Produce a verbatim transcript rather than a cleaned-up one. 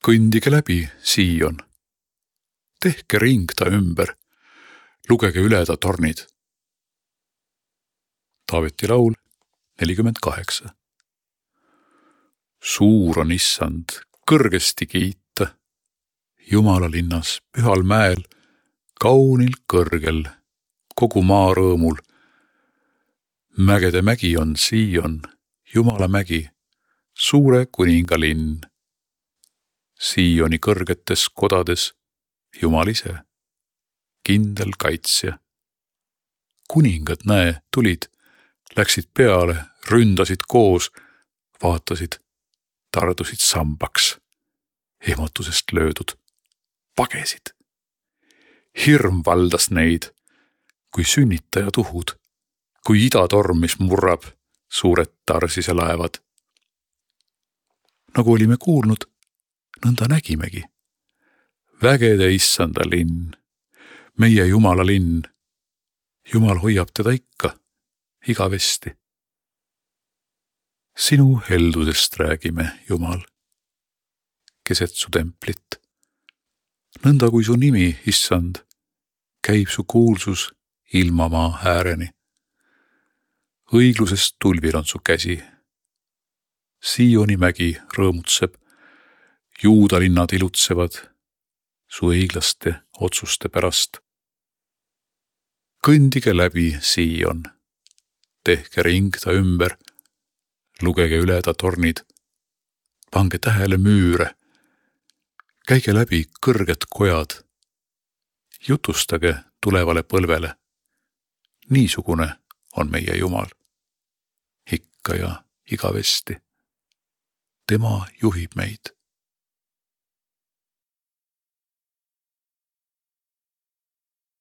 Kõndige läbi, Siion. Tehke ring ta ümber, lugege üle ta tornid. Taaveti laul nelikümmend kaheksa. Suur on issand, kõrgesti kiita, Jumala linnas, pühal mäel, kaunil kõrgel, kogu maa rõõmul. Mägede mägi on Siion, Jumala mägi, suure kuninga linn. Siioni kõrgetes kodades Jumal ise, kindel kaitsja. Kuningad, näe, tulid, läksid peale, ründasid koos, vaatasid, tardusid sambaks, ehmatusest löödud, pagesid. Hirm valdas neid, kui sünnitaja tuhud, kui idatorm, mis murrab suured tarsise laevad. Nagu olime kuulnud, nõnda nägimegi. Vägede issanda linn, meie Jumala linn. Jumal hoiab teda ikka, igavesti. Sinu heldusest räägime, Jumal, keset su templit. Nõnda kui su nimi, issand, käib su kuulsus ilmamaa ääreni. Õiglusest tulvil on su käsi. Siioni mägi rõõmutseb, Juuda linnad ilutsevad su õiglaste otsuste pärast. Kõndige läbi, Siion, tehke ring ta ümber, lugege üle ta tornid, pange tähele müüre, käige läbi kõrged kojad, jutustage tulevale põlvele. Niisugune on meie Jumal, ikka ja igavesti. Tema juhib meid.